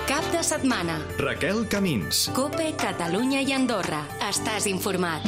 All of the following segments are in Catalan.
Cap de setmana. Raquel Camins. COPE, Catalunya i Andorra. Estàs informat.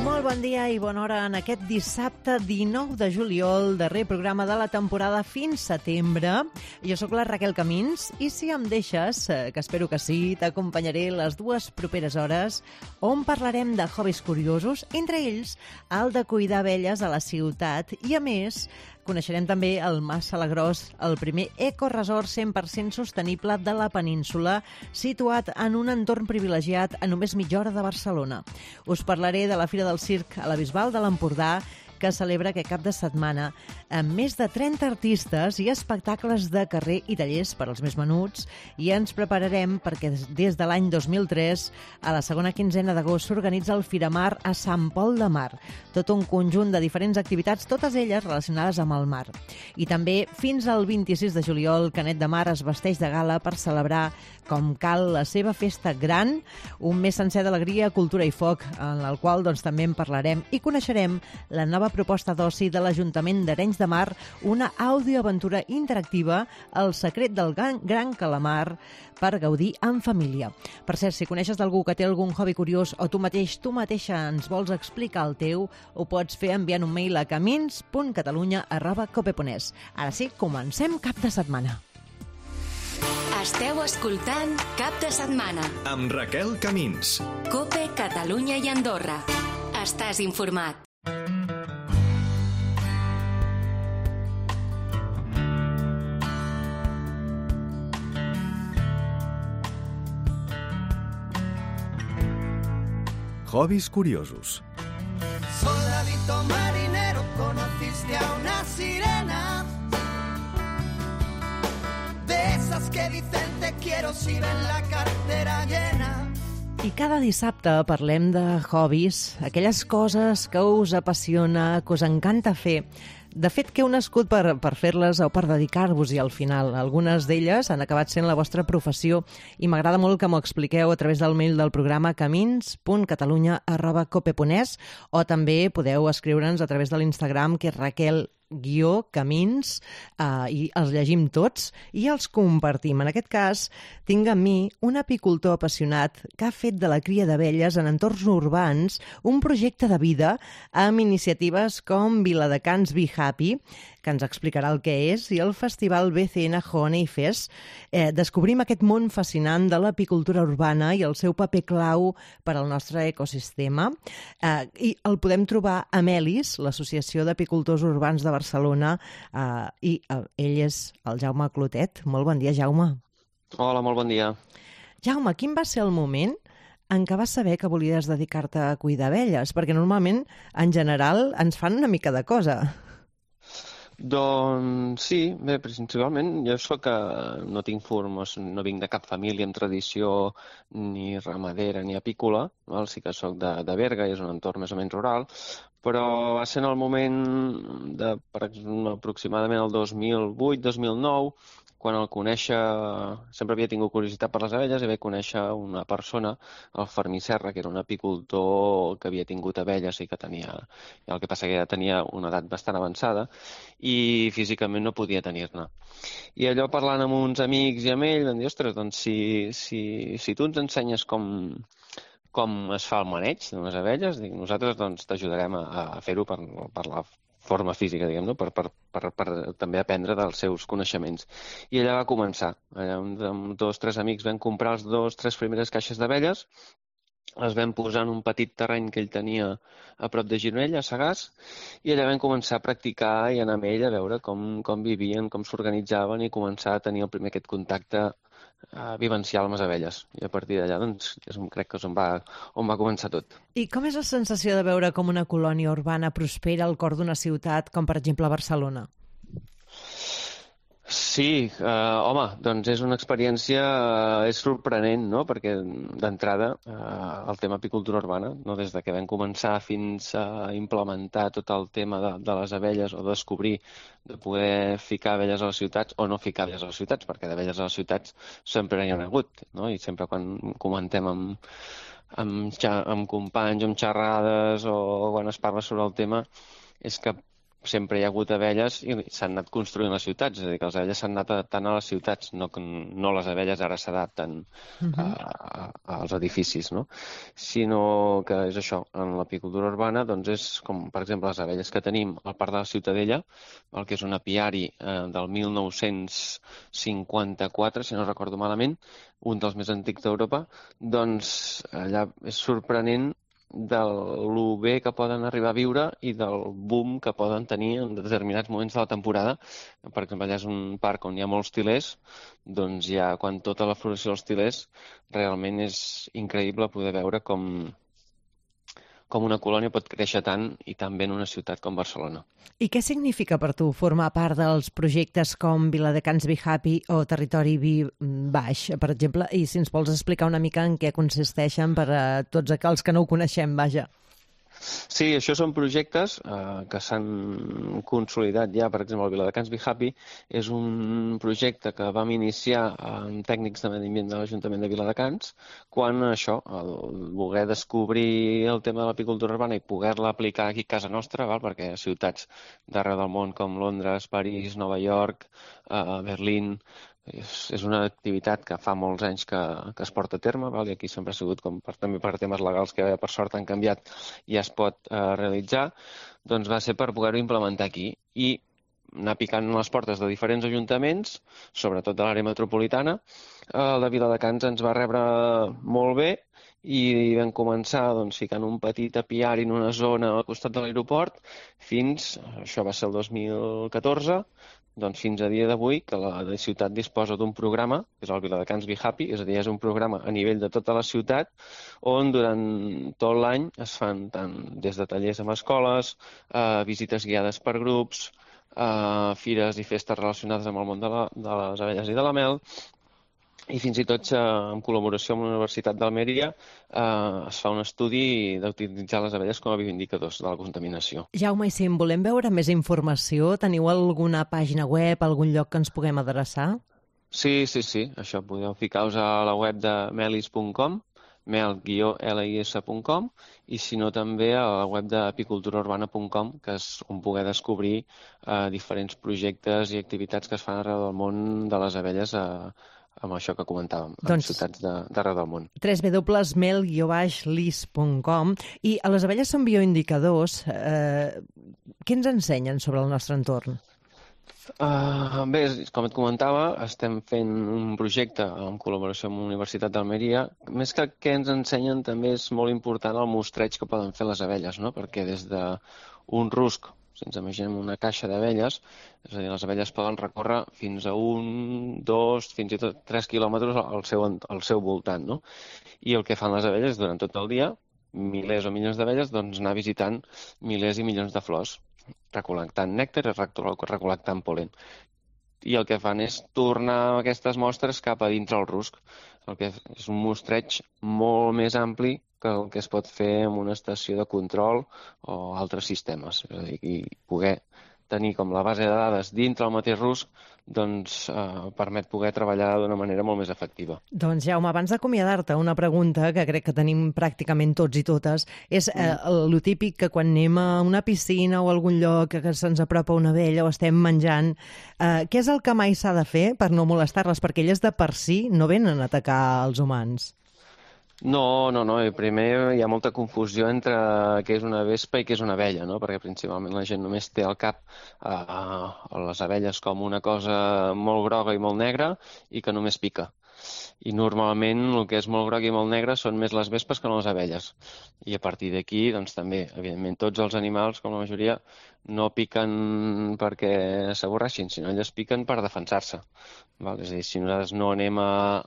Molt bon dia i bona hora en aquest dissabte 19 de juliol, darrer programa de la temporada fins setembre. Jo sóc la Raquel Camins i si em deixes, que espero que sí, t'acompanyaré les dues properes hores on parlarem de hobbies curiosos, entre ells el de cuidar abelles a la ciutat i, a més, coneixerem també el Mas Salagrós, el primer ecoresort 100% sostenible de la península, situat en un entorn privilegiat a només mitja hora de Barcelona. Us parlaré de la Fira del Circ a la Bisbal de l'Empordà, que celebra aquest cap de setmana amb més de 30 artistes i espectacles de carrer i tallers per als més menuts, i ens prepararem perquè des de l'any 2003 a la segona quinzena d'agost s'organitza el Firamar a Sant Pol de Mar, tot un conjunt de diferents activitats, totes elles relacionades amb el mar. I també fins al 26 de juliol Canet de Mar es vesteix de gala per celebrar com cal la seva festa gran, un mes sencer d'alegria, cultura i foc, en el qual també en parlarem i coneixerem la nova proposta d'oci de l'Ajuntament d'Arenys de Mar, una audioaventura interactiva, El secret del gran calamar, per gaudir en família. Per cert, si coneixes d'algú que té algun hobby curiós o tu mateixa ens vols explicar el teu, ho pots fer enviant un mail a camins.catalunya@cope.es. Ara sí, comencem Cap de setmana. Esteu escoltant Cap de setmana. Amb Raquel Camins. COPE, Catalunya i Andorra. Estàs informat. Hobbies curiosos. Soldadito marinero, conociste a una sirena, de esas que dicen te quiero si ven la cartera llena. I cada dissabte parlem de hobbies, aquelles coses que us apassiona, que us encanta fer. De fet, que heu nascut per fer-les o per dedicar-vos-hi al final. Algunes d'elles han acabat sent la vostra professió i m'agrada molt que m'ho expliqueu a través del mail del programa camins.catalunya@cope.es, o també podeu escriure'ns a través de l'Instagram, que és Raquel-Camins, i els llegim tots i els compartim. En aquest cas, tinc amb mi un apicultor apassionat que ha fet de la cria d'abelles en entorns urbans un projecte de vida amb iniciatives com Viladecans Be Happy, que ens explicarà el que és, i el festival BCN Honey Fest. Descobrim aquest món fascinant de l'apicultura urbana i el seu paper clau per al nostre ecosistema. I el podem trobar a Melis, l'Associació d'Apicultors Urbans de Barcelona, i ell és el Jaume Clotet. Molt bon dia, Jaume. Hola, molt bon dia. Jaume, quin va ser el moment en què vas saber que volies dedicar-te a cuidar abelles? Perquè normalment, en general, ens fan una mica de cosa. Doncs sí, bé, principalment jo no tinc formació, no vinc de cap família amb tradició ni ramadera ni apícola, val? Sí que soc de Berga i és un entorn més o menys rural, però va ser en el moment aproximadament el 2008-2009, quan el conèixer, sempre havia tingut curiositat per les abelles i vaig conèixer una persona, el Fermí Serra, que era un apicultor que havia tingut abelles i que tenia, el que passa que ja tenia una edat bastant avançada i físicament no podia tenir-ne. I allò parlant amb uns amics i amb ell vam dir, ostres, doncs si tu ens ensenyes com es fa el maneig d'unes abelles, nosaltres doncs t'ajudarem a fer-ho per la forma física, diguem, per també aprendre dels seus coneixements. I allà va començar. Allà amb 2 o 3 amics vam comprar les 2 o 3 primeres caixes d'abelles, les vam posar en un petit terreny que ell tenia a prop de Gironella, a Sagàs, i allà vam començar a practicar i anar amb ell a veure com vivien, com s'organitzaven i començar a tenir el primer aquest contacte vivencial amb les abelles. I a partir d'allà, doncs, crec que és on va començar tot. I com és la sensació de veure com una colònia urbana prospera al cor d'una ciutat, com per exemple Barcelona? Sí, home, doncs és una experiència, és sorprenent, no?, perquè d'entrada el tema apicultura urbana, no?, des de que vam començar fins a implementar tot el tema de les abelles o descobrir de poder ficar abelles a les ciutats o no ficar abelles a les ciutats, perquè d'abelles a les ciutats sempre hi ha hagut, no?, i sempre quan comentem amb companys, amb xerrades o quan es parla sobre el tema, és que sempre hi ha hagut abelles i s'han anat construint les ciutats, és a dir, que les abelles s'han anat adaptant a les ciutats, no les abelles ara s'adapten als edificis, no? Sinó que és això, en l'apicultura urbana doncs és com, per exemple, les abelles que tenim al Parc de la Ciutadella, el que és un apiari del 1954, si no recordo malament, un dels més antics d'Europa, doncs allà és sorprenent de lo bé que poden arribar a viure i del boom que poden tenir en determinats moments de la temporada. Per exemple, allà és un parc on hi ha molts tilers, doncs ja quan tota la floració dels tilers realment és increïble poder veure com una colònia pot créixer tant i tan bé en una ciutat com Barcelona. I què significa per tu formar part dels projectes com Viladecans Be Happy o Territori Be Baix, per exemple? I si ens vols explicar una mica en què consisteixen per a tots aquells que no ho coneixem, vaja. Sí, això són projectes que s'han consolidat ja. Per exemple, el Viladecans Be Happy és un projecte que vam iniciar amb tècnics de medi ambient de l'Ajuntament de Viladecans quan això, el voler descobrir el tema de l'apicultura urbana i poder-la aplicar aquí a casa nostra, perquè a ciutats d'arreu del món com Londres, París, Nova York, Berlín, és una activitat que fa molts anys que es porta a terme, i aquí sempre ha sigut, també per temes legals que per sort han canviat, ja es pot realitzar, doncs va ser per poder-ho implementar aquí i anar picant les portes de diferents ajuntaments, sobretot de l'àrea metropolitana. El de Viladecans ens va rebre molt bé i vam començar ficant un petit apiari en una zona al costat de l'aeroport això va ser el 2014, fins a dia d'avui que la ciutat disposa d'un programa, que és el Viladecans Be Happy, és a dir, és un programa a nivell de tota la ciutat on durant tot l'any es fan tant des de tallers amb escoles, visites guiades per grups, fires i festes relacionades amb el món de les abelles i de la mel, i fins i tot en col·laboració amb la Universitat d'Almeria es fa un estudi d'utilitzar les abelles com a bioindicadors de la contaminació. Jaume, i si en volem veure més informació, teniu alguna pàgina web, algun lloc que ens puguem adreçar? Sí. Això podeu ficar-vos a la web de melis.com, mel-lis.com, i si no també a la web d'apiculturaurbana.com, que és on poder descobrir diferents projectes i activitats que es fan arreu del món de les abelles amb això que comentàvem, en ciutats d'arreu del món. www.mel-lis.com. I a les abelles són bioindicadors. Què ens ensenyen sobre el nostre entorn? Bé, com et comentava, estem fent un projecte en col·laboració amb la Universitat d'Almeria. Més que què ens ensenyen, també és molt important el mostreig que poden fer les abelles, no? Perquè des d'un rusc, si ens imaginem una caixa d'abelles, és a dir, les abelles poden recórrer fins a 1, 2, fins i tot 3 quilòmetres al seu voltant, no? I el que fan les abelles durant tot el dia, milers o milions d'abelles, anar visitant milers i milions de flors, recol·lectant nèctar i recol·lectant pol·len. I el que fan és tornar aquestes mostres cap a dintre el rusc. El que és un mostreig molt més ampli que el que es pot fer en una estació de control o altres sistemes. És a dir, i poder tenir com la base de dades dintre el mateix rusc permet poder treballar d'una manera molt més efectiva. Doncs, Jaume, abans d'acomiadar-te, una pregunta que crec que tenim pràcticament tots i totes, és lo típic que quan anem a una piscina o a algun lloc que se'ns apropa una abella o estem menjant, què és el que mai s'ha de fer per no molestar-les? Perquè elles de per si no venen a atacar els humans. No. Primer hi ha molta confusió entre què és una vespa i què és una abella, no? Perquè principalment la gent només té al cap les abelles com una cosa molt groga i molt negra i que només pica. I normalment el que és molt groc i molt negre són més les vespes que no les abelles. I a partir d'aquí, també, evidentment, tots els animals, com la majoria, no piquen perquè s'avorreixin, sinó elles piquen per defensar-se. És a dir, si nosaltres no anem a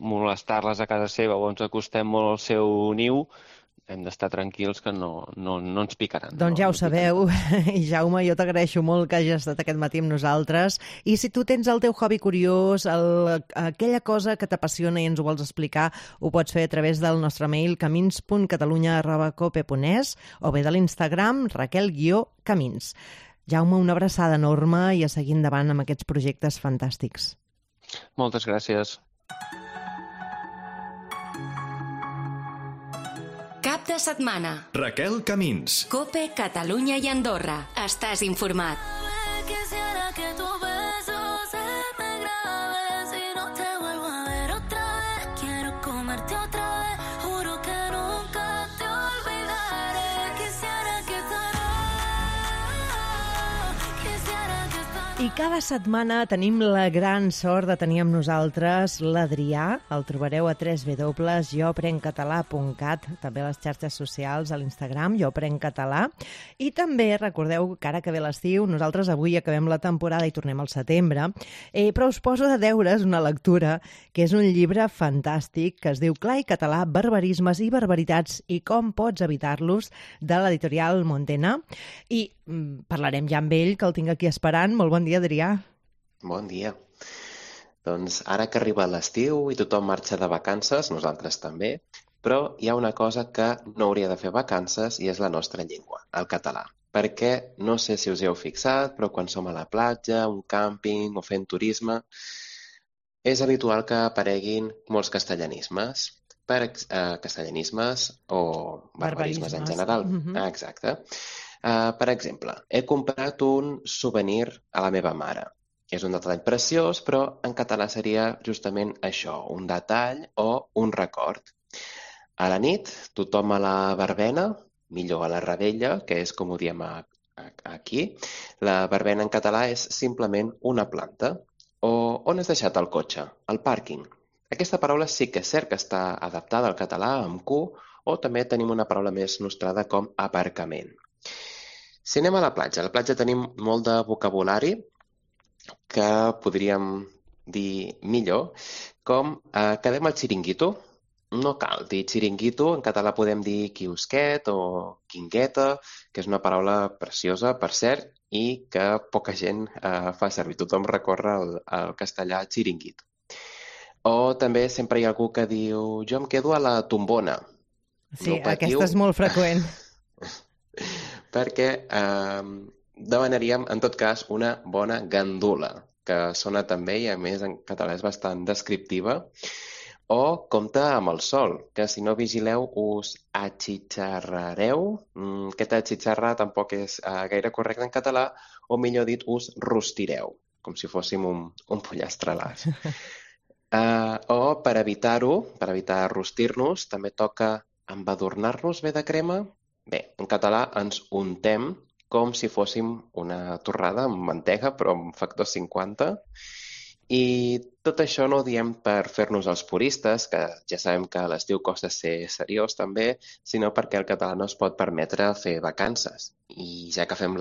molestar-les a casa seva o ens acostem molt al seu niu, hem d'estar tranquils que no ens picaran. Doncs ja ho sabeu. I Jaume, jo t'agraeixo molt que hagis estat aquest matí amb nosaltres. I si tu tens el teu hobby curiós, aquella cosa que t'apassiona i ens ho vols explicar, ho pots fer a través del nostre mail camins.catalunya@cope.es o bé de l'Instagram Raquel-Camins. Jaume, una abraçada enorme i a seguir endavant amb aquests projectes fantàstics. Moltes gràcies. Cap de setmana. Raquel Camins. COPE, Catalunya i Andorra. Estàs informat. Quisiera que tu beso se me grabe, si no te vuelvo a ver otra vez, quiero comerte otra vez, juro que nunca te olvidaré. Quisiera que I cada setmana tenim la gran sort de tenir amb nosaltres l'Adrià. El trobareu a www.joaprencatalà.cat, també a les xarxes socials, a l'Instagram, Jo Aprenc Català. I també recordeu que ara que ve l'estiu, nosaltres avui acabem la temporada i tornem al setembre, però us poso de deures una lectura que és un llibre fantàstic que es diu Clar i català, barbarismes i barbaritats i com pots evitar-los, de l'editorial Montena. I parlarem ja amb ell, que el tinc aquí esperant. Molt bon dia, Adrià. Bon dia. Doncs ara que arriba l'estiu i tothom marxa de vacances, nosaltres també, però hi ha una cosa que no hauria de fer vacances i és la nostra llengua, el català. Perquè no sé si us hi heu fixat, però quan som a la platja, un càmping o fent turisme, és habitual que apareguin molts castellanismes, castellanismes o barbarismes en general. Exacte. Per exemple, he comprat un souvenir a la meva mare. És un detall preciós, però en català seria justament això, un detall o un record. A la nit, tothom a la verbena, millor a la rebella, que és com ho diem aquí. La verbena en català és simplement una planta. O on has deixat el cotxe? Al pàrquing. Aquesta paraula sí que és cert que està adaptada al català amb Q, o també tenim una paraula més nostrada com aparcament. Si anem a la platja tenim molt de vocabulari que podríem dir millor, com quedem al xiringuito. No cal dir xiringuito, en català podem dir quiosquet o quingueta, que és una paraula preciosa, per cert, i que poca gent fa servir. Tothom recorre al castellà xiringuito. O també sempre hi ha algú que diu jo em quedo a la tombona. Sí, no aquesta és molt freqüent. Perquè demanaríem, en tot cas, una bona gandula, que sona també i, a més, en català és bastant descriptiva. O compte amb el sol, que si no vigileu us atxitxarrareu. Aquest atxitxarrar tampoc és gaire correcte en català, o millor dit, us rostireu, com si fóssim un pollastre a l'as. O per evitar-ho, per evitar rostir-nos, també toca embadurnar-nos bé de crema. Bé, en català ens untem com si fóssim una torrada amb mantega, però amb factor 50. I tot això no ho diem per fer-nos els puristes, que ja sabem que a l'estiu costa ser seriós també, sinó perquè el català no es pot permetre fer vacances. I ja que fem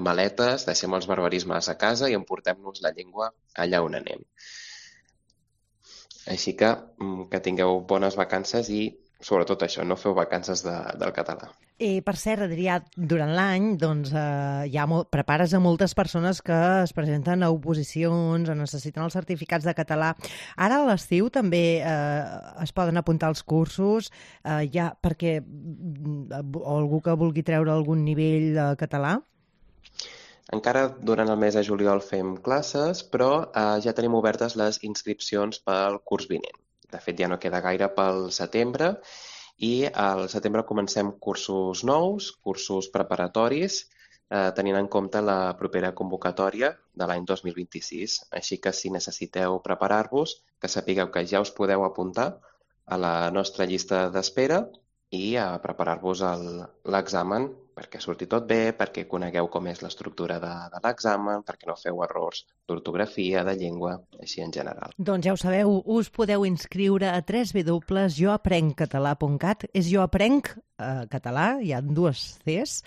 maletes, deixem els barbarismes a casa i emportem-nos la llengua allà on anem. Així que tingueu bones vacances i, sobretot això, no feu vacances del català. Per cert, Adrià, durant l'any prepares a moltes persones que es presenten a oposicions, necessiten els certificats de català. Ara a l'estiu també es poden apuntar als cursos perquè algú que vulgui treure algun nivell de català? Encara durant el mes de juliol fem classes, però ja tenim obertes les inscripcions pel curs vinent. De fet, ja no queda gaire pel setembre i al setembre comencem cursos nous, cursos preparatoris, tenint en compte la propera convocatòria de l'any 2026. Així que si necessiteu preparar-vos, que sapigueu que ja us podeu apuntar a la nostra llista d'espera i a preparar-vos l'examen perquè surti tot bé, perquè conegueu com és l'estructura de l'examen, perquè no feu errors d'ortografia, de llengua, així en general. Doncs ja ho sabeu, us podeu inscriure a www.joaprencatalà.cat. És Jo Aprenc Català, hi ha dues Cs.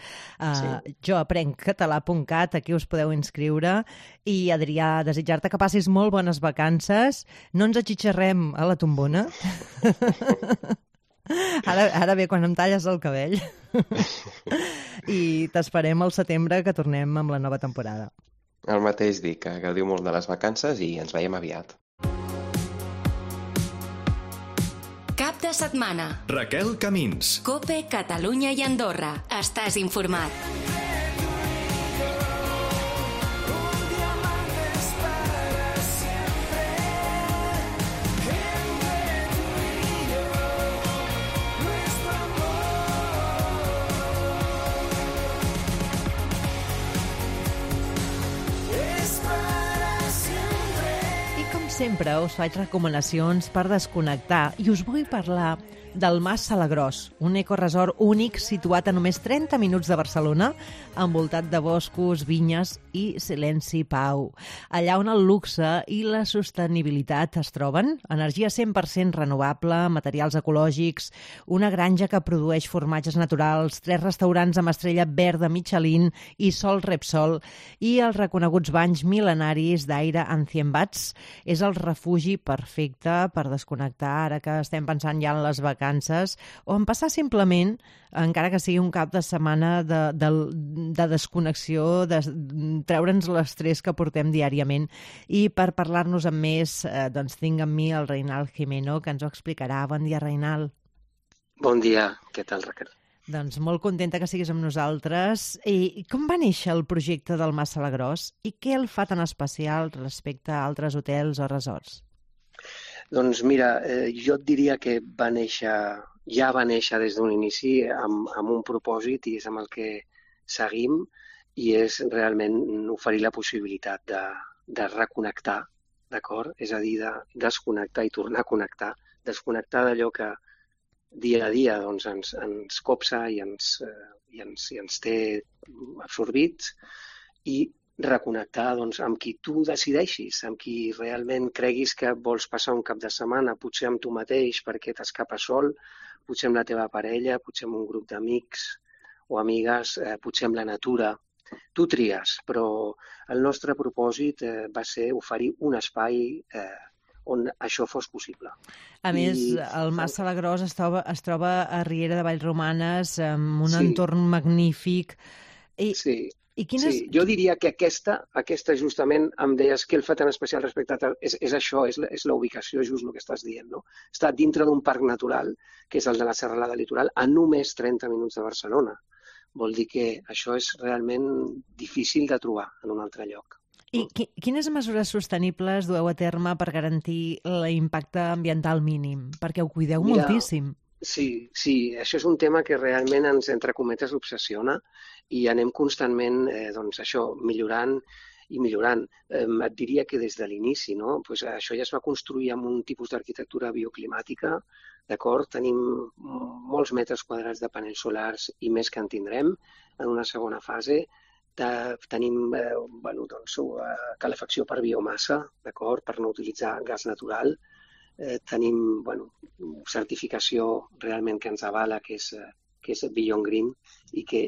Joaprencatalà.cat, aquí us podeu inscriure. I, Adrià, desitjar-te que passis molt bones vacances. No ens atxitxarrem a la tombona. Ara bé, quan em talles el cabell. I t'esperem al setembre, que tornem amb la nova temporada. El mateix dic, que gaudiu molt de les vacances i ens veiem aviat. Cap de setmana. Raquel Camins. COPE, Catalunya i Andorra. Estàs informat. sempre us faig recomanacions per desconnectar i us vull parlar del Mas Salagrós, un ecoresort únic situat a només 30 minuts de Barcelona, envoltat de boscos, vinyes i silenci i pau. Allà on el luxe i la sostenibilitat es troben, energia 100% renovable, materials ecològics, una granja que produeix formatges naturals, 3 restaurants amb estrella verda Michelin i Sol Repsol i els reconeguts banys mil·lenaris d'Aire Ancien Bats. És el refugi perfecte per desconnectar ara que estem pensant ja en les vacances o en passar simplement, encara que sigui un cap de setmana de desconnexió, de treure'ns l'estrès que portem diàriament. I per parlar-nos amb més, doncs tinc amb mi el Reinald Gimeno, que ens ho explicarà. Bon dia, Reinald. Bon dia, què tal, Raquel? Doncs molt contenta que siguis amb nosaltres. I com va néixer el projecte del Mas Salagrós i què el fa tan especial respecte a altres hotels o resorts? Doncs mira, jo et diria que ja va néixer des d'un inici amb un propòsit i és amb el que seguim i és realment oferir la possibilitat de reconnectar, d'acord? És a dir, de desconnectar i tornar a connectar, desconnectar d'allò que dia a dia doncs, ens copsa i ens té absorbits i reconnectar doncs, amb qui tu decideixis, amb qui realment creguis que vols passar un cap de setmana, potser amb tu mateix perquè t'escapes sol, potser amb la teva parella, potser amb un grup d'amics o amigues, potser amb la natura. Tu tries, però el nostre propòsit va ser oferir un espai on això fos possible. A més, el Mas Salagrós es troba a Riera de Vallromanes, amb un entorn magnífic. Sí, jo diria que aquesta justament em deies que el fa tan especial respecte a... És això, és la ubicació, just el que estàs dient, no? Està dintre d'un parc natural, que és el de la Serralada Litoral, a només 30 minuts de Barcelona. Vol dir que això és realment difícil de trobar en un altre lloc. I quines mesures sostenibles dueu a terme per garantir l'impacte ambiental mínim? Perquè ho cuideu moltíssim. Sí, això és un tema que realment ens, entre cometes, obsessiona i anem constantment, millorant i millorant. Et diria que des de l'inici, no? Pues això ja es va construir amb un tipus d'arquitectura bioclimàtica, d'acord? Tenim molts metres quadrats de panells solars i més que en tindrem en una segona fase. Tenim calefacció per biomassa, d'acord? Per no utilitzar gas natural. Tenim certificació realment que ens avala, que és Beyond Green i que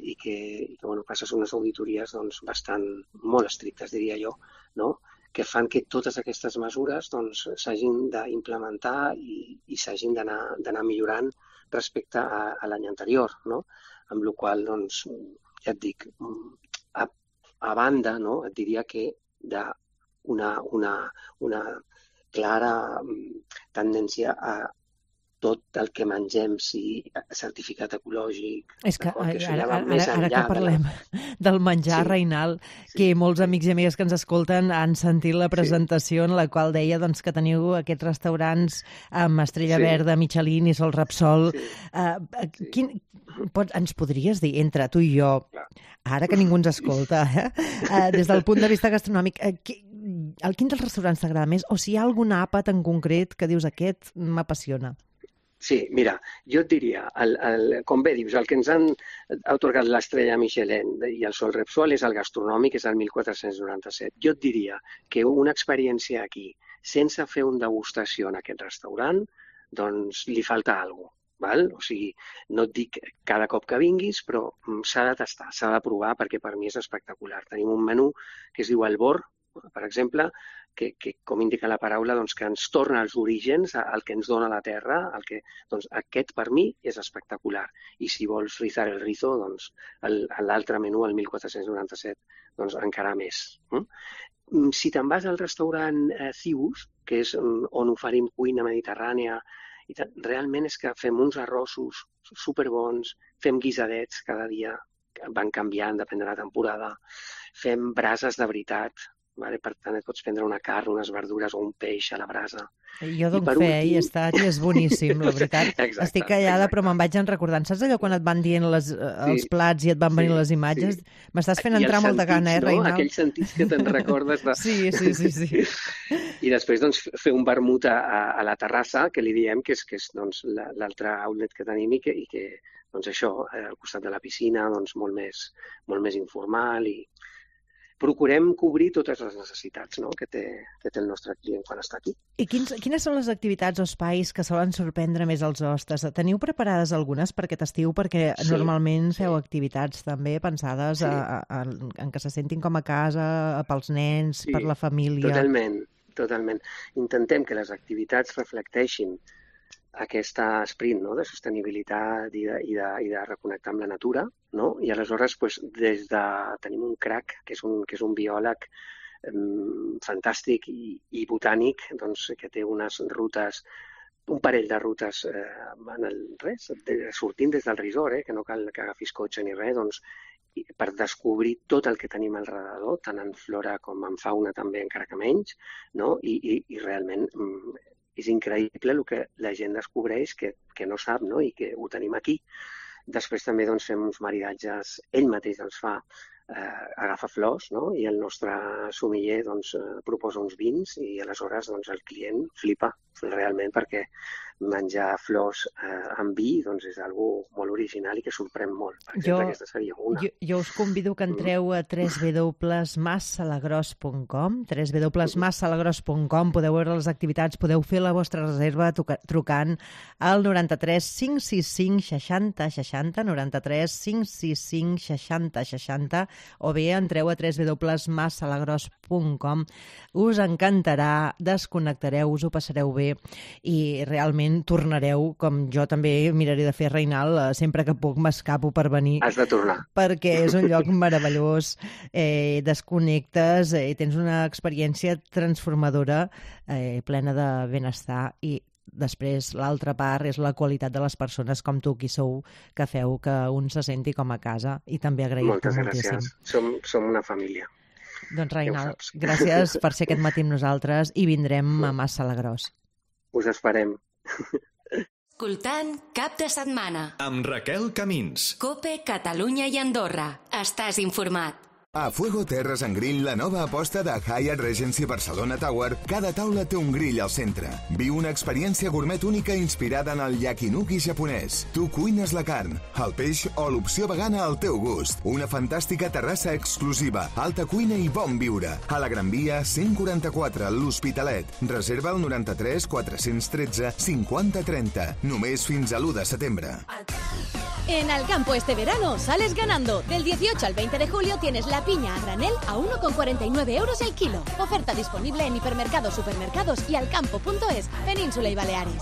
passes unes auditories molt estrictes, diria jo, no? Que fan que totes aquestes mesures s'hagin d'implementar i s'hagin d'anar millorant respecte a l'any anterior, no? Amb la qual cosa, ja et dic, a banda, no? Et diria que d'una clara tendència a tot el que mengem sigui certificat ecològic. És que ara que parlem del menjar, Reinald, que molts amics i amigues que ens escolten han sentit la presentació en la qual deia que teniu aquests restaurants amb estrella verda, Michelin i Sol Repsol. Ens podries dir, entre tu i jo, ara que ningú ens escolta, des del punt de vista gastronòmic, quin dels restaurants t'agrada més? O si hi ha algun àpat en concret que dius aquest m'apassiona? Sí, mira, jo et diria, com bé dius, el que ens han atorgat l'estrella Michelin i el Sol Repsol és el gastronòmic, és el 1497. Jo et diria que una experiència aquí, sense fer una degustació en aquest restaurant, doncs li falta alguna cosa. O sigui, no et dic cada cop que vinguis, però s'ha de tastar, s'ha de provar, perquè per mi és espectacular. Tenim un menú que es diu el Bor, per exemple, que com indica la paraula, que ens torna als orígens, al que ens dona la terra. Aquest per mi és espectacular. I si vols rizar el rizo, l'altre menú, el 1497, encara més. Si te'n vas al restaurant Cibus, que és on oferim cuina mediterrània, realment és que fem uns arrossos superbons, fem guisadets cada dia, van canviant, depèn de la temporada, fem brases de veritat, Vale? Per tant, et pots prendre una carn, unes verdures o un peix a la brasa. Jo dono fe, i he estat, i és boníssim, la veritat. Exacte, Estic callada, però me'n vaig recordant. Saps allò quan et van dient els plats i et van venir les imatges? M'estàs fent entrar molta gana, Reinald? Aquells sentits que te'n recordes. Sí. I després doncs, fer un vermut a la terrassa, que li diem que és doncs, l'altre outlet que tenim i que doncs això, al costat de la piscina, doncs molt més informal i procurem cobrir totes les necessitats, no?, que té el nostre client quan està aquí. I quines són les activitats o espais que solen sorprendre més els hostes? Teniu preparades algunes per aquest estiu? Perquè normalment feu activitats també pensades en que se sentin com a casa, pels nens, per la família. Totalment. Intentem que les activitats reflecteixin aquest esperit, no?, de sostenibilitat i de reconnectar amb la natura, no? I aleshores tenim un crack, que és un biòleg fantàstic i botànic, doncs, que té unes rutes, un parell de rutes sortint des del resort, que no cal que agafis cotxe ni res, doncs, per descobrir tot el que tenim al redador, tant en flora com en fauna també, encara que menys, no? I realment és increïble el que la gent descobreix que no sap, no?, i que ho tenim aquí. Després també doncs, fem uns maridatges, ell mateix els fa, agafa flors, no?, i el nostre sommelier doncs, proposa uns vins i aleshores doncs, el client flipa realment perquè menjar flors amb vi doncs, és algo molt original i que sorprèn molt. Per exemple, aquesta seria una. Jo us convido que entreu a www.massalagross.com. www.massalagross.com. Podeu veure les activitats, podeu fer la vostra reserva trucant al 93 565 60 60, 93 565 60 60, o bé entreu a www.massalagross.com. Us encantarà, desconnectareu, us ho passareu bé i realment tornareu, com jo també miraré de fer, Reinald, sempre que puc m'escapo per venir. Has de tornar. Perquè és un lloc meravellós, desconnectes, tens una experiència transformadora, plena de benestar i després l'altra part és la qualitat de les persones com tu, qui sou, que feu que un se senti com a casa i també agraïm-ho moltíssim. Moltes gràcies. Som una família. Doncs Reinald, gràcies per ser aquest matí amb nosaltres i vindrem a Massalagross. Us esperem. Escoltant Cap de Setmana. Amb Raquel Camins. COPE, Catalunya i Andorra. Estàs informat. A Fuego Terres and Grill, la nova aposta de Hyatt Regency Barcelona Tower, cada taula té un grill al centre. Viu una experiència gourmet única inspirada en el yakinuki japonès. Tu cuines la carn, el peix o l'opció vegana al teu gust. Una fantàstica terrassa exclusiva, alta cuina i bon viure. A la Gran Via 144, l'Hospitalet. Reserva al 93 413 50 30. Només fins a l'1 de setembre. En Alcampo este verano sales ganando. Del 18 al 20 de julio tienes la piña a granel a 1,49 euros el kilo. Oferta disponible en hipermercados, supermercados y alcampo.es, Península y Baleares.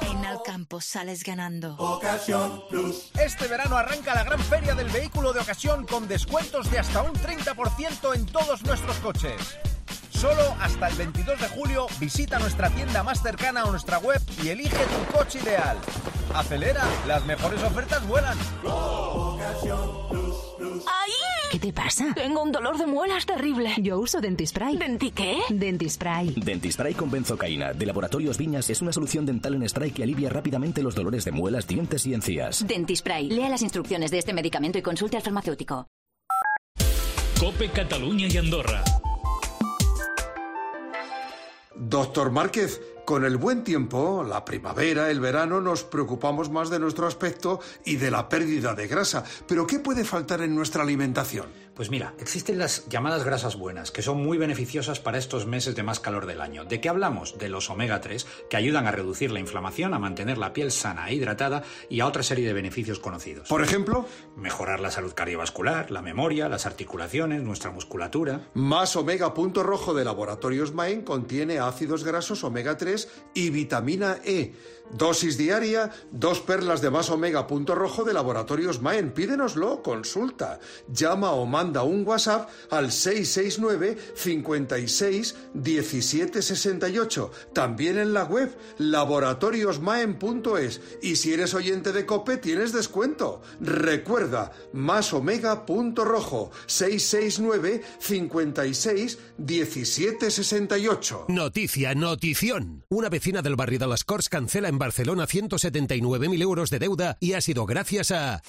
En Alcampo sales ganando. Ocasión Plus. Este verano arranca la gran feria del vehículo de ocasión con descuentos de hasta un 30% en todos nuestros coches. Solo hasta el 22 de julio visita nuestra tienda más cercana o nuestra web y elige tu coche ideal. Acelera, las mejores ofertas vuelan. ¡Ay! ¿Qué te pasa? Tengo un dolor de muelas terrible. Yo uso Dentispray. ¿Denti qué? Dentispray. Dentispray con benzocaína de Laboratorios Viñas es una solución dental en spray que alivia rápidamente los dolores de muelas, dientes y encías. Dentispray. Lea las instrucciones de este medicamento y consulte al farmacéutico. COPE, Cataluña y Andorra. Doctor Márquez, con el buen tiempo, la primavera, el verano, nos preocupamos más de nuestro aspecto y de la pérdida de grasa. ¿Pero qué puede faltar en nuestra alimentación? Pues mira, existen las llamadas grasas buenas, que son muy beneficiosas para estos meses de más calor del año. ¿De qué hablamos? De los omega 3, que ayudan a reducir la inflamación, a mantener la piel sana e hidratada y a otra serie de beneficios conocidos. ¿Por ejemplo? Mejorar la salud cardiovascular, la memoria, las articulaciones, nuestra musculatura. Más Omega Punto Rojo de Laboratorios Main contiene ácidos grasos omega 3 y vitamina E. Dosis diaria, 2 perlas de Más Omega Punto Rojo de Laboratorios Main. Pídenoslo, consulta. Llama a Omar manda un WhatsApp al 669 56 17 68. También en la web laboratoriosmaen.es. Y si eres oyente de COPE tienes descuento. Recuerda, masomega.rojo 669 56 17 68. Notición. Una vecina del barrio de las Corts cancela en Barcelona 179.000 euros de deuda y ha sido gracias a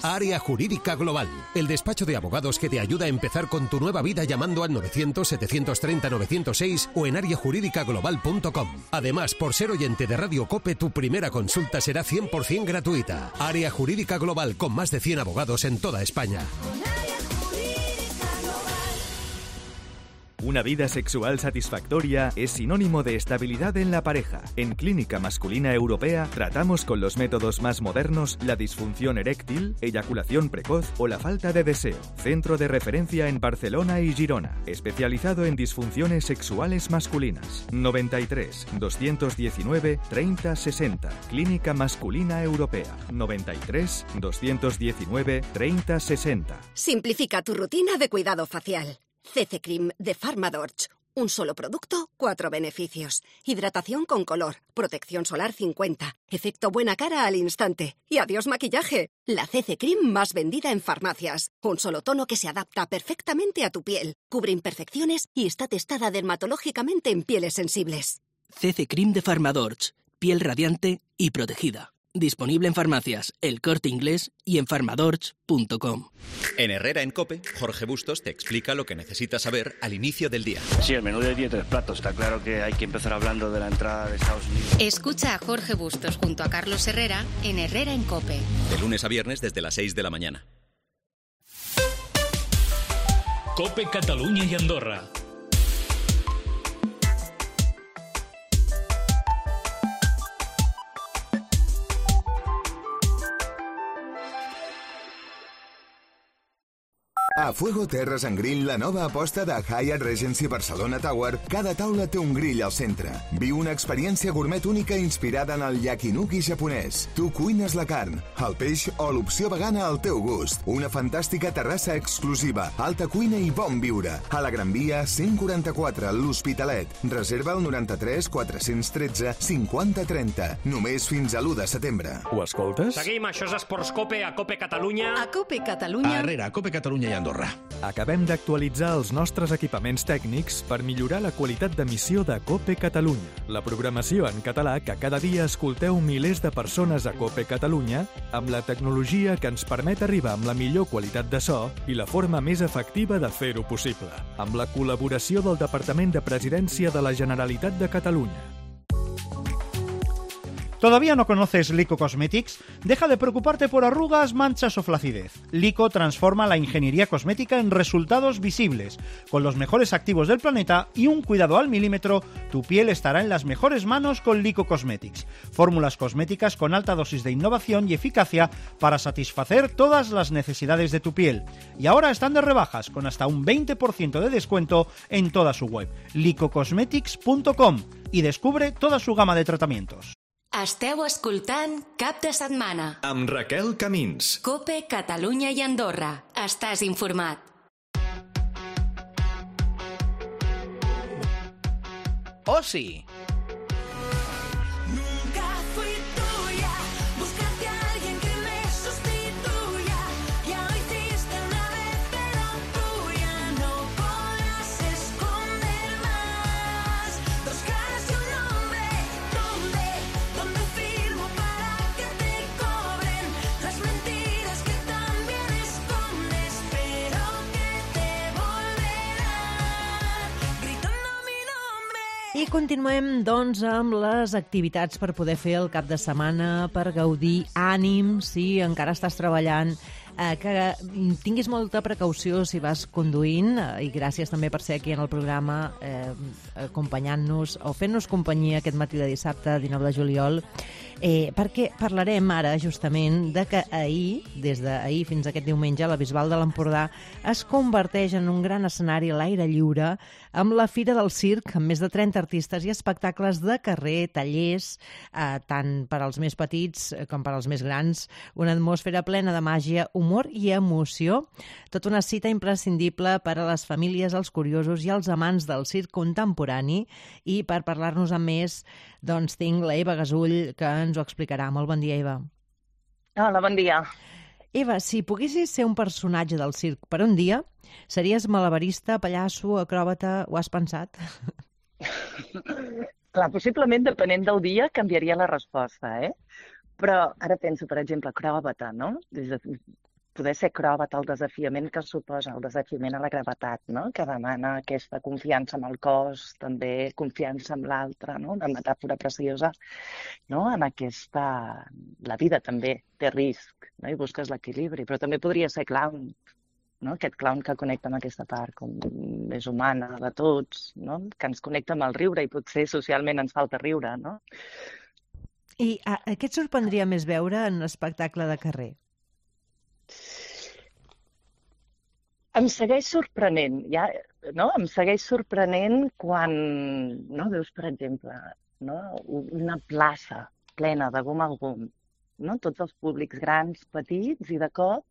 Área Jurídica Global, el despacho de abogados que te ayuda a empezar con tu nueva vida llamando al 900-730-906 o en areajurídicaglobal.com. Además, por ser oyente de Radio COPE, tu primera consulta será 100% gratuita. Área Jurídica Global, con más de 100 abogados en toda España. Una vida sexual satisfactoria es sinónimo de estabilidad en la pareja. En Clínica Masculina Europea tratamos con los métodos más modernos la disfunción eréctil, eyaculación precoz o la falta de deseo. Centro de referencia en Barcelona y Girona, especializado en disfunciones sexuales masculinas. 93 219 30 60. Clínica Masculina Europea. 93 219 30 60. Simplifica tu rutina de cuidado facial. CC Cream de Pharmadorch. Un solo producto, 4 beneficios. Hidratación con color, protección solar 50, efecto buena cara al instante y adiós maquillaje. La CC Cream más vendida en farmacias. Un solo tono que se adapta perfectamente a tu piel, cubre imperfecciones y está testada dermatológicamente en pieles sensibles. CC Cream de Pharmadorch. Piel radiante y protegida. Disponible en farmacias, El Corte Inglés y en pharmadorch.com. En Herrera en COPE, Jorge Bustos te explica lo que necesitas saber al inicio del día. Sí, el menú de 10 platos. Está claro que hay que empezar hablando de la entrada de Estados Unidos. Escucha a Jorge Bustos junto a Carlos Herrera en Herrera en COPE. De lunes a viernes desde las 6 de la mañana. COPE Catalunya y Andorra. A Fuego Terres and Grill, la nova aposta de Hyatt Regency Barcelona Tower, cada taula té un grill al centre. Viu una experiència gourmet única inspirada en el yakinuki japonès. Tu cuines la carn, el peix o l'opció vegana al teu gust. Una fantàstica terrassa exclusiva, alta cuina i bon viure. A la Gran Via 144, l'Hospitalet. Reserva el 93 413 50 30. Només fins a l'1 de setembre. Ho escoltes? Seguim, això és Esports Cope, a Cope Catalunya. A Cope Catalunya. A Herrera, Cope Catalunya i Andorra. Acabem d'actualitzar els nostres equipaments tècnics per millorar la qualitat d'emissió de COPE Catalunya. La programació en català que cada dia escolteu milers de persones a COPE Catalunya amb la tecnologia que ens permet arribar amb la millor qualitat de so i la forma més efectiva de fer-ho possible. Amb la col·laboració del Departament de Presidència de la Generalitat de Catalunya. ¿Todavía no conoces Lico Cosmetics? Deja de preocuparte por arrugas, manchas o flacidez. Lico transforma la ingeniería cosmética en resultados visibles. Con los mejores activos del planeta y un cuidado al milímetro, tu piel estará en las mejores manos con Lico Cosmetics. Fórmulas cosméticas con alta dosis de innovación y eficacia para satisfacer todas las necesidades de tu piel. Y ahora están de rebajas, con hasta un 20% de descuento en toda su web, licocosmetics.com, y descubre toda su gama de tratamientos. Esteu escoltant Cap de Setmana. Amb Raquel Camins. COPE Catalunya i Andorra. Estàs informat. Oci. I continuem, doncs, amb les activitats per poder fer el cap de setmana, per gaudir. Ànim, si encara estàs treballant, que tinguis molta precaució si vas conduint, i gràcies també per ser aquí en el programa acompanyant-nos o fent-nos companyia aquest matí de dissabte 19 de juliol, perquè parlarem ara justament de que ahir, des d'ahir fins aquest diumenge, la Bisbal de l'Empordà es converteix en un gran escenari a l'aire lliure amb la Fira del Circ, amb més de 30 artistes i espectacles de carrer, tallers, tant per als més petits com per als més grans, una atmosfera plena de màgia, humor i emoció. Tota una cita imprescindible per a les famílies, els curiosos i els amants del circ contemporani. I per parlar-nos amb més, doncs tinc la Eva Gasull, que ens ho explicarà. Molt bon dia, Eva. Hola, bon dia. Eva, si poguessis ser un personatge del circ per un dia, series malabarista, pallasso, acròbata, ho has pensat? Clar, possiblement, depenent del dia, canviaria la resposta, Però ara penso, per exemple, acròbata, no? Poder ser acròbata, el desafiament que suposa, el desafiament a la gravetat, no? Que demana aquesta confiança amb el cos, també confiança amb l'altre, no? Una metàfora preciosa, no? En aquesta... La vida també té risc, no? I busques l'equilibri, però també podria ser clown, no? Aquest clown que connecta amb aquesta part com més humana de tots, no? Que ens connecta amb el riure i potser socialment ens falta riure, no? I què et sorprendria més veure en un espectacle de carrer? Em segueix sorprenent, no? Em segueix sorprenent quan, no? Veus, per exemple, no? Una plaça plena de gom a gom, no? Tots els públics grans, petits, i de cop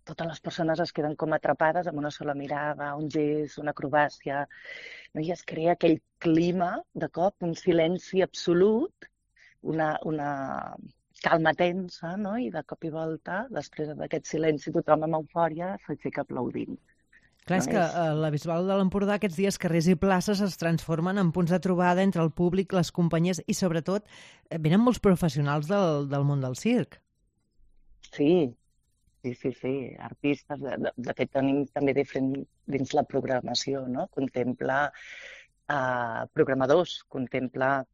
totes les persones es queden com atrapades amb una sola mirada, un gest, una acrobàcia, no? I es crea aquell clima, de cop, un silenci absolut, una calma tensa, no? I de cop i volta, després d'aquest silenci, tothom amb eufòria s'aixeca aplaudint. Clar, és que a la Bisbal de l'Empordà aquests dies carrers i places es transformen en punts de trobada entre el públic, les companyies i, sobretot, venen molts professionals del món del circ. Sí, artistes. De fet, tenim també dins la programació, no? Contempla programadors, contempla,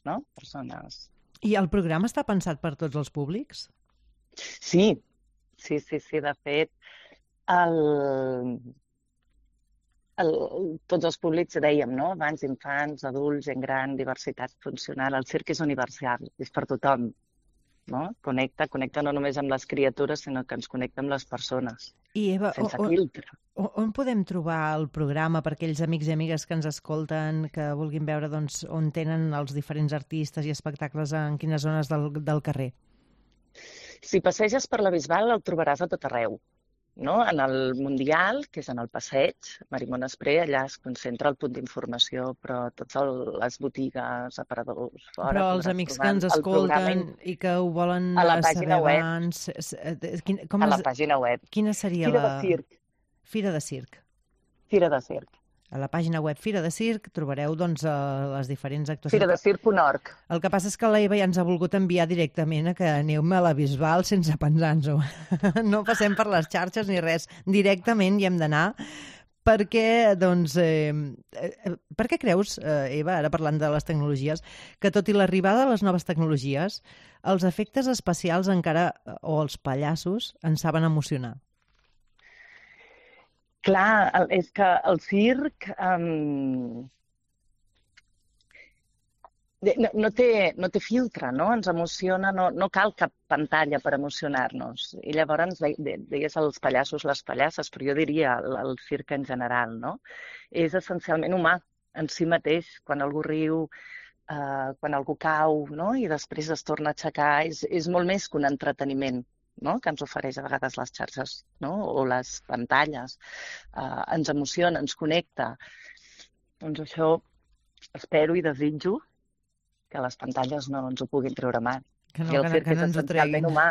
no? Persones. I el programa està pensat per tots els públics? Sí. De fet, tots els públics, dèiem, no? Abans, infants, adults, gent gran, diversitat funcional. El circ és universal, és per tothom. No? Connecta no només amb les criatures, sinó que ens connecta amb les persones. I Eva, sense filtre. On podem trobar el programa per aquells amics i amigues que ens escolten, que vulguin veure on tenen els diferents artistes i espectacles, en quines zones del carrer? Si passeges per la Bisbal el trobaràs a tot arreu. No? En el Mundial, que és en el passeig, Marimon Espré, allà es concentra el punt d'informació, però totes les botigues, aparadors, fora... Però els amics que ens escolten i que ho volen saber abans... A la pàgina web. Quina seria Fira de Circ. Fira de Circ. Fira de Circ. A la pàgina web Fira de Circ trobareu doncs, les diferents actuacions. Firadecirc.org. El que passa és que l'Eva ja ens ha volgut enviar directament a que aneu-me a la Bisbal sense pensar-nos-ho. No passem per les xarxes ni res. Directament hi hem d'anar perquè, doncs... per què creus, Eva, ara parlant de les tecnologies, que tot i l'arribada de les noves tecnologies, els efectes especials encara, o els pallassos, ens saben emocionar? Clar, és que el circ no té filtre, no? Ens emociona, no cal cap pantalla per emocionar-nos. I llavors deies els pallassos, les pallasses, però jo diria el circ en general, no? És essencialment humà en si mateix. Quan algú riu, quan algú cau, no? I després es torna a aixecar, és molt més que un entreteniment, no? Que ens ofereix a vegades les xarxes, no? O les pantalles. Ens emociona, ens connecta. Doncs això espero i desitjo que les pantalles no ens ho puguin treure mà. Que no ens ho treguin. Humà.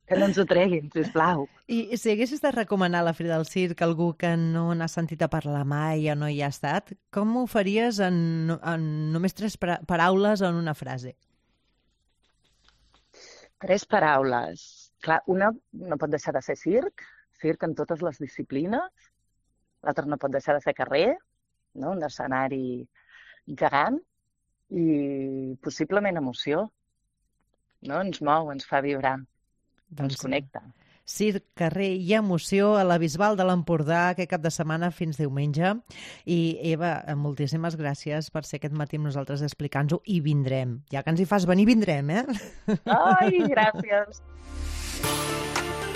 Que no ens ho treguin, sisplau. I si haguessis de recomanar la Fira del Circ a algú que no n'ha sentit a parlar mai o no hi ha estat, com ho faries en només 3 paraules o en una frase? 3 paraules. Clar, una no pot deixar de ser circ en totes les disciplines. L'altra no pot deixar de ser carrer, no? Un escenari gegant i possiblement emoció. No? Ens mou, ens fa vibrar, ens connecta. Circ, carrer i emoció a la Bisbal de l'Empordà aquest cap de setmana fins diumenge. I Eva, moltíssimes gràcies per ser aquest matí amb nosaltres explicant-ho i vindrem. Ja que ens hi fas venir, vindrem, Ai, gràcies.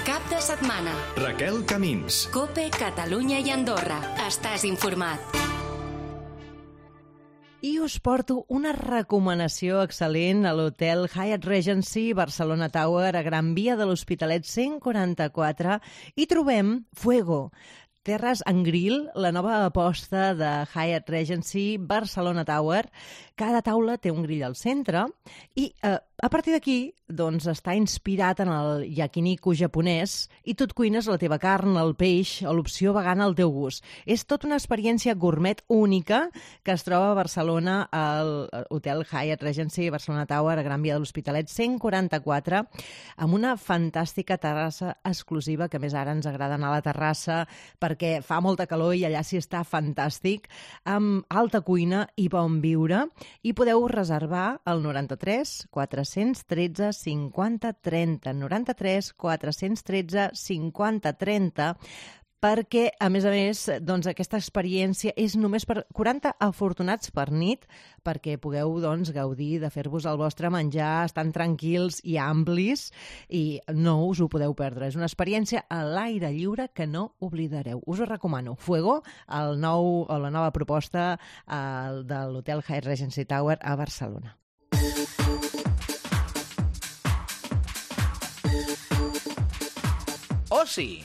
Cap de setmana. Raquel Camins. COPE, Catalunya i Andorra. Estàs informat. I us porto una recomanació excel·lent a l'hotel Hyatt Regency Barcelona Tower a Gran Via de l'Hospitalet 144 i trobem Fuego, Terres and Grill, la nova aposta de Hyatt Regency Barcelona Tower. Cada taula té un grill al centre i a partir d'aquí doncs, està inspirat en el yakiniku japonès i tu et cuines la teva carn, el peix o l'opció vegana al teu gust. És tota una experiència gourmet única que es troba a Barcelona al Hotel Hyatt Regency Barcelona Tower a Gran Via de l'Hospitalet 144 amb una fantàstica terrassa exclusiva, que més ara ens agrada anar a la terrassa perquè fa molta calor i allà sí està fantàstic, amb alta cuina i bon viure, i podeu reservar al 93 413 50 30, 93 413 50 30, perquè, a més, doncs, aquesta experiència és només per 40 afortunats per nit, perquè pugueu doncs, gaudir de fer-vos el vostre menjar, estan tranquils i amplis, i no us ho podeu perdre. És una experiència a l'aire lliure que no oblidareu. Us ho recomano. Fuego, la nova proposta de l'Hotel Hyatt Regency Tower a Barcelona. Oci.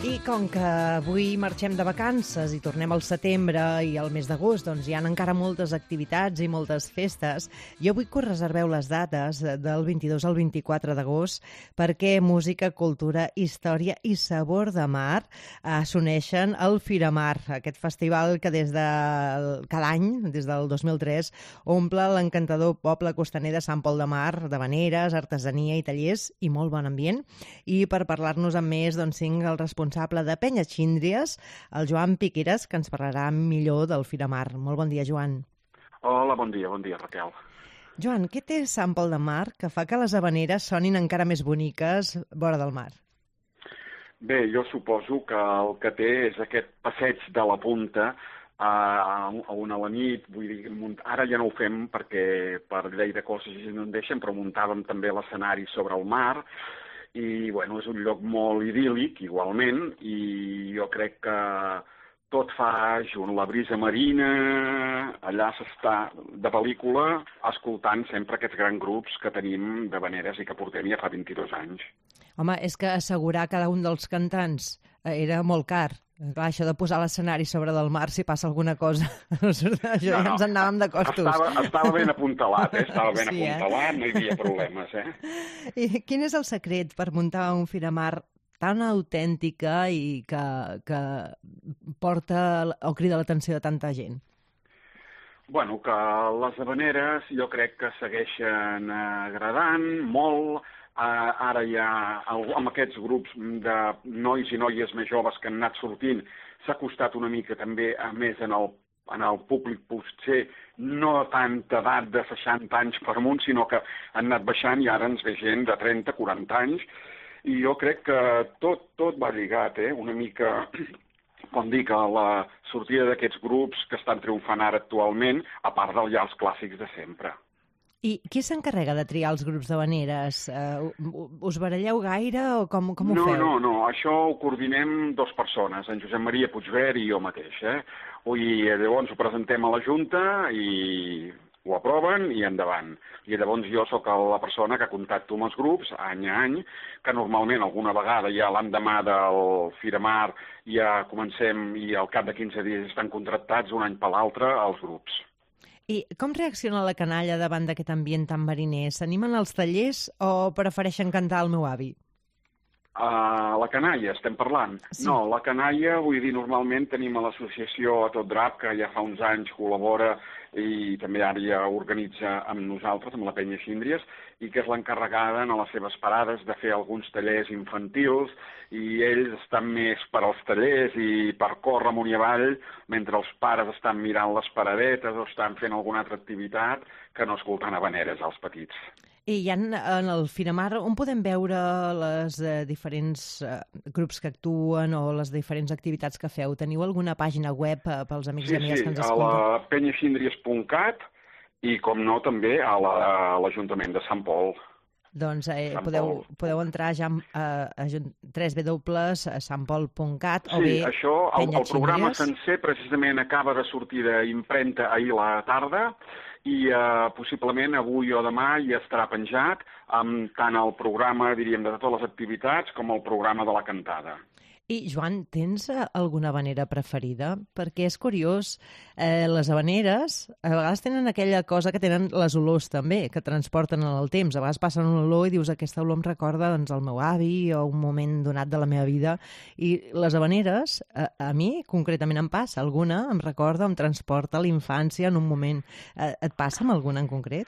I com que avui marxem de vacances i tornem al setembre i al mes d'agost, doncs hi ha encara moltes activitats i moltes festes, jo vull que us reserveu les dates del 22 al 24 d'agost perquè música, cultura, història i sabor de mar s'uneixen al Firamar, aquest festival que cada any, des del 2003, omple l'encantador poble costaner de Sant Pol de Mar, de veneres, artesania i tallers i molt bon ambient. I per parlar-nos amb més, doncs tinc el responsable de Penya Xíndries, el Joan Piqueras, que ens parlarà millor del Firamar. Molt bon dia, Joan. Hola, bon dia, Raquel. Joan, què té Sant Pol de Mar que fa que les habaneres sonin encara més boniques vora del mar? Bé, jo suposo que el que té és aquest passeig de la punta a la nit, vull dir, ara ja no ho fem perquè per llei de coses no en deixen, però muntàvem també l'escenari sobre el mar, i bueno, és un lloc molt idíl·lic igualment, i jo crec que tot fa junt, la brisa marina, allà s'està de pel·lícula escoltant sempre aquests grans grups que tenim de veneres i que portem ja fa 22 anys. Home, és que assegurar cada un dels cantants era molt car. Clar, això de posar l'escenari sobre del mar, si passa alguna cosa, això ja ens en anàvem de costos. Estava ben apuntalat, estava ben apuntalat, no hi havia problemes, I quin és el secret per muntar un Firamar tan autèntica i que porta o crida l'atenció de tanta gent? Bueno, que les habaneres jo crec que segueixen agradant molt. Ara ja, amb aquests grups de nois i noies més joves que han anat sortint, s'ha costat una mica també, a més, en el públic potser no tanta edat de 60 anys per amunt, sinó que han anat baixant i ara ens ve gent de 30, 40 anys, i jo crec que tot va lligat, una mica, com dic, a la sortida d'aquests grups que estan triomfant ara actualment, a part ja els clàssics de sempre. I qui s'encarrega de triar els grups d'habaneres? Us baralleu gaire o com ho feu? No, això ho coordinem dues persones, en Josep Maria Puigvert i jo mateix. I llavors ho presentem a la Junta i ho aproven i endavant. I llavors jo sóc la persona que contacto amb els grups any a any, que normalment alguna vegada ja l'endemà del Firamar ja comencem i al cap de 15 dies estan contractats un any per l'altre els grups. I com reacciona la canalla davant d'aquest ambient tan mariner? S'animen als tallers o prefereixen cantar el meu avi? La canalla, estem parlant? Sí. No, la canalla, vull dir, normalment tenim a l'associació A Tot Drap, que ja fa uns anys col·labora i també ara ja organitza amb nosaltres, amb la Penya Xíndries, i que és l'encarregada en les seves parades de fer alguns tallers infantils, i ells estan més per als tallers i per córrer amunt i avall, mentre els pares estan mirant les paradetes o estan fent alguna altra activitat que no escoltant habaneres als petits. I ja en el Firamar, on podem veure les diferents grups que actuen o les diferents activitats que feu? Teniu alguna pàgina web pels amics i amigues que ens escolten? Sí, a la penyaxindries.cat i, com no, també a l'Ajuntament de Sant Pol. Doncs podeu entrar ja a www.sampol.cat o bé això, el programa sencer precisament acaba de sortir d'impremta ahir a la tarda i possiblement avui o demà ja estarà penjat amb tant el programa, diríem, de totes les activitats com el programa de la cantada. I, Joan, tens alguna habanera preferida? Perquè és curiós, les habaneres a vegades tenen aquella cosa que tenen les olors també, que transporten en el temps. A vegades passen una olor i dius aquesta olor em recorda doncs, el meu avi o un moment donat de la meva vida. I les habaneres, a mi concretament em passa. Alguna em recorda, em transporta a la infància en un moment. Et passa amb alguna en concret?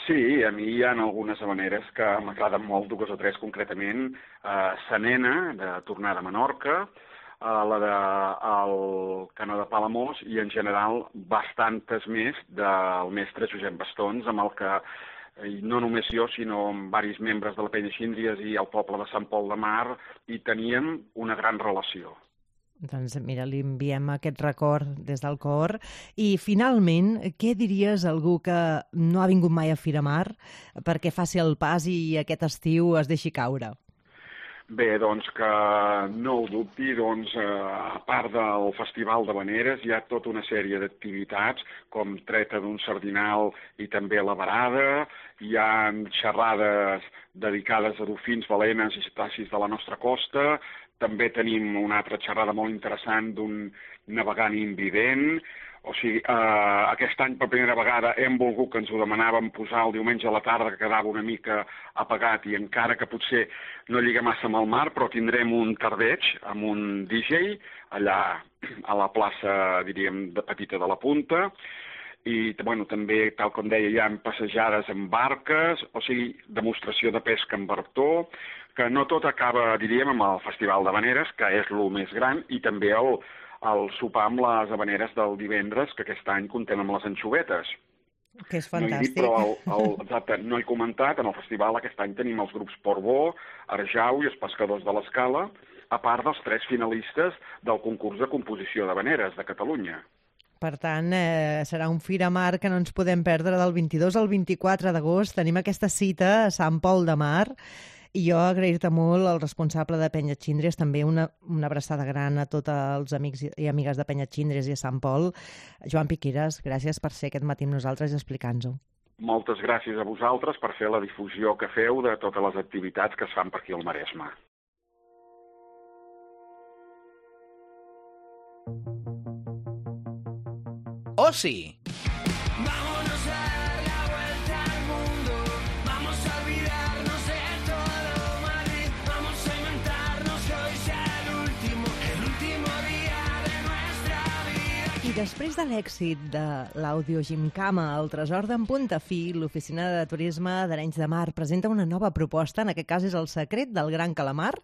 Sí, a mi hi ha algunes habaneres que m'agraden molt, 2 o 3 concretament. Sa Nena, de Tornar de Menorca, la del Canó de Palamós i, en general, bastantes més del mestre Josep Bastons, amb el que, no només jo, sinó amb diversos membres de la Penya Xíndries i el poble de Sant Pol de Mar, hi teníem una gran relació. Doncs mira, li enviem aquest record des del cor. I finalment, què diries a algú que no ha vingut mai a Fira Mar perquè faci el pas i aquest estiu es deixi caure? Bé, doncs que no ho dubti, doncs a part del Festival d'Havaneres hi ha tota una sèrie d'activitats com treta d'un sardinal i també la varada, hi ha xerrades dedicades a dofins, balenes i cetacis de la nostra costa, també tenim una altra xerrada molt interessant d'un navegant invident. O sigui, aquest any per primera vegada hem volgut, que ens ho demanàvem, posar el diumenge a la tarda, que quedava una mica apagat, i encara que potser no lliga massa amb el mar, però tindrem un tardeig amb un DJ allà a la plaça, diríem, de Petita de la Punta, i bueno, també, tal com deia, hi ha passejades amb barques, o sigui, demostració de pesca amb bartó, que no tot acaba, diríem, amb el Festival d'Havaneres, que és el més gran, i també el sopar amb les habaneres del divendres, que aquest any comptem amb les anxovetes. Que és fantàstic. Exacte, no he comentat, en el festival aquest any tenim els grups Portbó, Arjau i els Pescadors de l'Escala, a part dels 3 finalistes del concurs de composició d'habaneres de Catalunya. Per tant, serà un Fira Mar que no ens podem perdre del 22 al 24 d'agost. Tenim aquesta cita a Sant Pol de Mar. I jo agrair-te molt al responsable de Penya Xíndries, també una abraçada gran a tots els amics i amigues de Penya Xíndries i a Sant Pol. Joan Piqueras, gràcies per ser aquest matí amb nosaltres i explicar-nos-ho. Moltes gràcies a vosaltres per fer la difusió que feu de totes les activitats que es fan per aquí al Maresme. Oci. Després de l'èxit de l'àudio Gimcama, el tresor d'en Puntafí, l'Oficina de Turisme d'Arenys de Mar presenta una nova proposta, en aquest cas és el secret del Gran Calamar.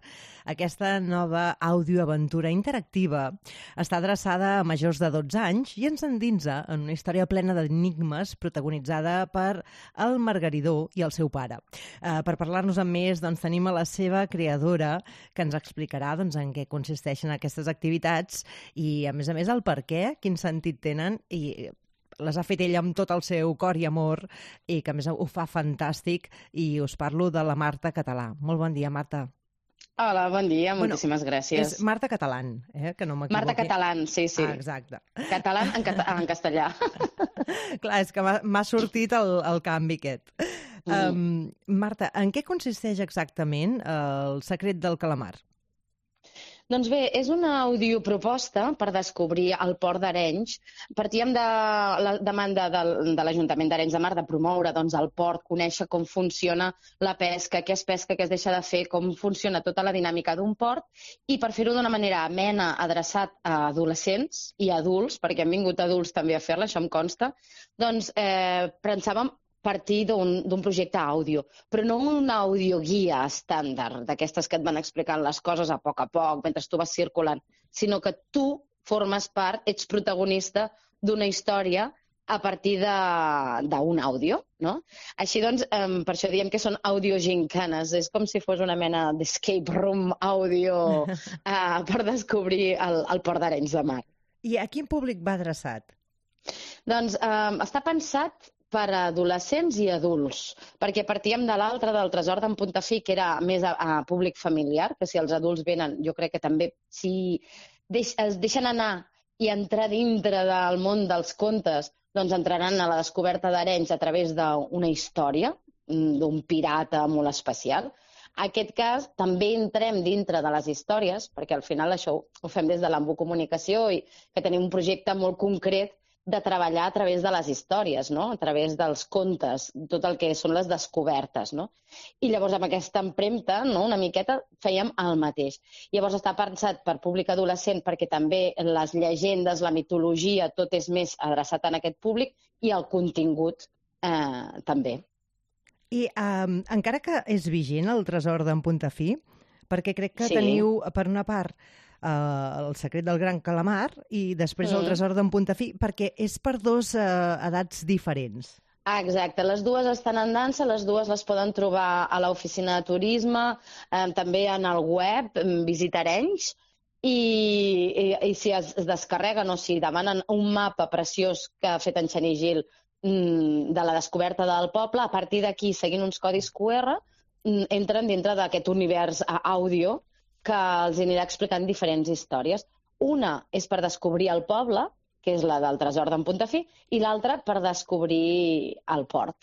Aquesta nova audioaventura interactiva està adreçada a majors de 12 anys i ens endinsa en una història plena d'enigmes protagonitzada per el Margaridó i el seu pare. Per parlar-nos amb més, doncs, tenim a la seva creadora, que ens explicarà en què consisteixen aquestes activitats i, a més, el per què, quin sentit tenen, i les ha fet ella amb tot el seu cor i amor i que a més ho fa fantàstic, i us parlo de la Marta Català. Molt bon dia, Marta. Hola, bon dia, moltíssimes gràcies. És Marta Catalán, que no m'equivoqui. Marta Catalán, sí. Ah, exacte. Catalán en castellà. Clar, és que m'ha sortit el canvi aquest. Marta, en què consisteix exactament el secret del calamar? Doncs bé, és una audioproposta per descobrir el port d'Arenys. Partíem de la demanda de l'Ajuntament d'Arenys de Mar de promoure el port, conèixer com funciona la pesca, què es pesca, què es deixa de fer, com funciona tota la dinàmica d'un port, i per fer-ho d'una manera amena, adreçat a adolescents i adults, perquè han vingut adults també a fer-la, això em consta, doncs pensàvem partir d'un projecte àudio, però no una audioguia estàndard, d'aquestes que et van explicant les coses a poc, mentre tu vas circulant, sinó que tu formes part, ets protagonista d'una història a partir d'un àudio, no? Així doncs, per això diem que són audiogincanes, és com si fos una mena d'escape room àudio per descobrir el port d'Arenys de Mar. I a quin públic va adreçat? Doncs està pensat per a adolescents i adults, perquè partíem de l'altre, del Tresor d'en Puntafí, que era més a públic familiar, que si els adults venen, jo crec que també, si es deixen anar i entrar dintre del món dels contes, doncs entraran a la descoberta d'Arenys a través d'una història, d'un pirata molt especial. En aquest cas, també entrem dintre de les històries, perquè al final això ho fem des de l'Embu Comunicació i que tenim un projecte molt concret de treballar a través de les històries, no? A través dels contes, tot el que són les descobertes, no? I llavors amb aquesta empremta, no? Una miqueta, fèiem el mateix. Llavors està pensat per públic adolescent perquè també les llegendes, la mitologia, tot és més adreçat a aquest públic i el contingut també. I encara que és vigent el Tresor d'en Puntafí, perquè crec que teniu, per una part, El secret del gran calamar i després El tresor d'en Puntafí, perquè és per dos edats diferents. Exacte, les dues estan en dansa, les dues les poden trobar a l'oficina de turisme, també en el web, Visita Arenys, i si es descarreguen o si demanen un mapa preciós que ha fet en Xeni Gil de la descoberta del poble, a partir d'aquí, seguint uns codis QR, entren dintre d'aquest univers àudio que els anirà explicant diferents històries. Una és per descobrir el poble, que és la del Tresor d'en Puntafí, i l'altra per descobrir el port.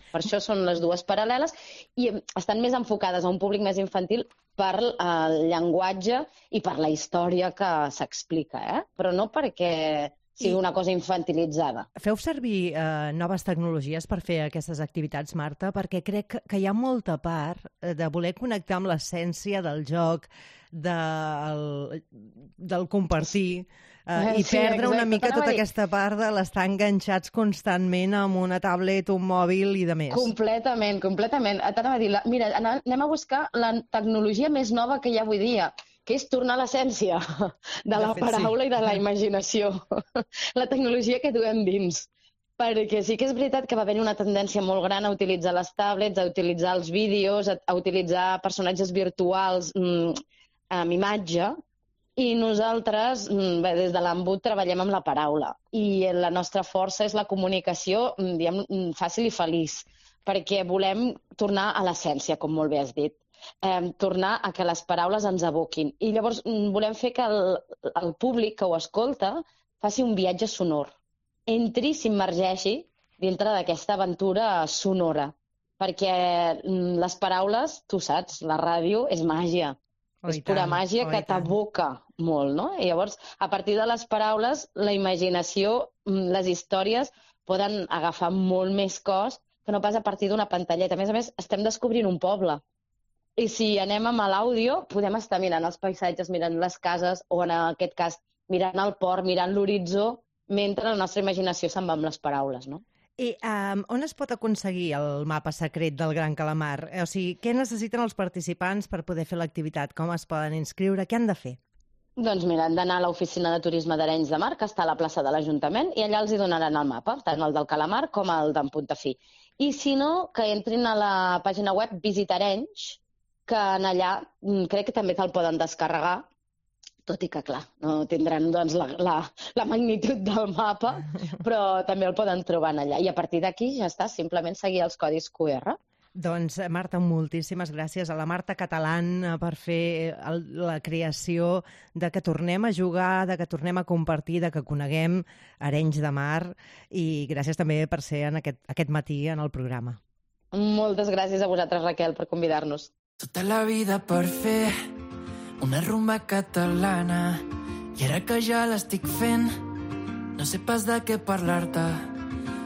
Per això són les dues paral·leles i estan més enfocades a un públic més infantil per el llenguatge i per la història que s'explica, però no perquè sigui una cosa infantilitzada. Feu servir noves tecnologies per fer aquestes activitats, Marta? Perquè crec que hi ha molta part de voler connectar amb l'essència del joc, del compartir, i perdre una mica tota aquesta part de l'estar enganxats constantment amb una tablet, un mòbil i de més. Completament, completament. T'anava a dir, mira, anem a buscar la tecnologia més nova que hi ha avui dia, que és tornar a l'essència de la paraula i de la imaginació. La tecnologia que duem dins. Perquè sí que és veritat que va haver una tendència molt gran a utilitzar les tablets, a utilitzar els vídeos, a utilitzar personatges virtuals amb imatge, i nosaltres, des de l'Embut, treballem amb la paraula. I la nostra força és la comunicació, diguem, fàcil i feliç, perquè volem tornar a l'essència, com molt bé has dit. Tornar a que les paraules ens evoquin. I llavors volem fer que el públic que ho escolta faci un viatge sonor. Entri, s'immergeixi dintre d'aquesta aventura sonora. Perquè les paraules, tu saps, la ràdio és màgia. És pura màgia que t'evoca molt, no? I llavors, a partir de les paraules, la imaginació, les històries poden agafar molt més cos que no pas a partir d'una pantalleta. A més, estem descobrint un poble. I si anem amb l'àudio, podem estar mirant els paisatges, mirant les cases, o en aquest cas, mirant el port, mirant l'horitzó, mentre la nostra imaginació se'n va amb les paraules, no? I on es pot aconseguir el mapa secret del Gran Calamar? O sigui, què necessiten els participants per poder fer l'activitat? Com es poden inscriure? Què han de fer? Doncs mira, han d'anar a l'oficina de turisme d'Arenys de Mar, que està a la plaça de l'Ajuntament, i allà els hi donaran el mapa, tant el del Calamar com el d'en Puntafí. I si no, que entrin a la pàgina web Visita Arenys, que allà crec que també te'l poden descarregar, tot i que, clar, no tindran doncs, la magnitud del mapa, però també el poden trobar allà. I a partir d'aquí ja està, simplement seguir els codis QR. Doncs, Marta, moltíssimes gràcies a la Marta Catalán per fer la creació de que tornem a jugar, de que tornem a compartir, de que coneguem Arenys de Mar, i gràcies també per ser en aquest matí en el programa. Moltes gràcies a vosaltres, Raquel, per convidar-nos. Tota la vida per fer una rumba catalana i ara que ja l'estic fent no sé pas de què parlar-te,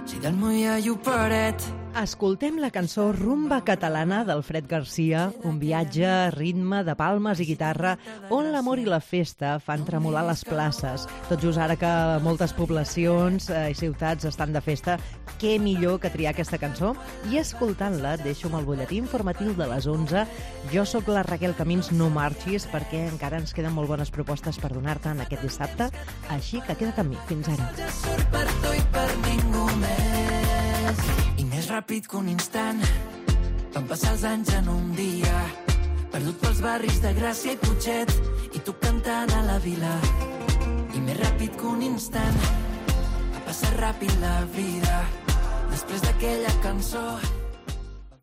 si del Moia i Operet. Escoltem la cançó Rumba Catalana d'Alfred Garcia, un viatge a ritme de palmes i guitarra on l'amor i la festa fan tremolar les places. Tot just ara que moltes poblacions i ciutats estan de festa, què millor que triar aquesta cançó? I escoltant-la, deixo amb el butlletí informatiu de les 11. Jo sóc la Raquel Camins, no marxis, perquè encara ens queden molt bones propostes per donar-te en aquest dissabte, així que queda't amb mi. Fins ara. Ja surt per tu i per ningú més. I més ràpid que un instant van passar els anys en un dia, perdut pels barris de Gràcia i Putxet i tu cantant a la vila. I més ràpid que un instant va passar ràpid la vida després de aquella cançó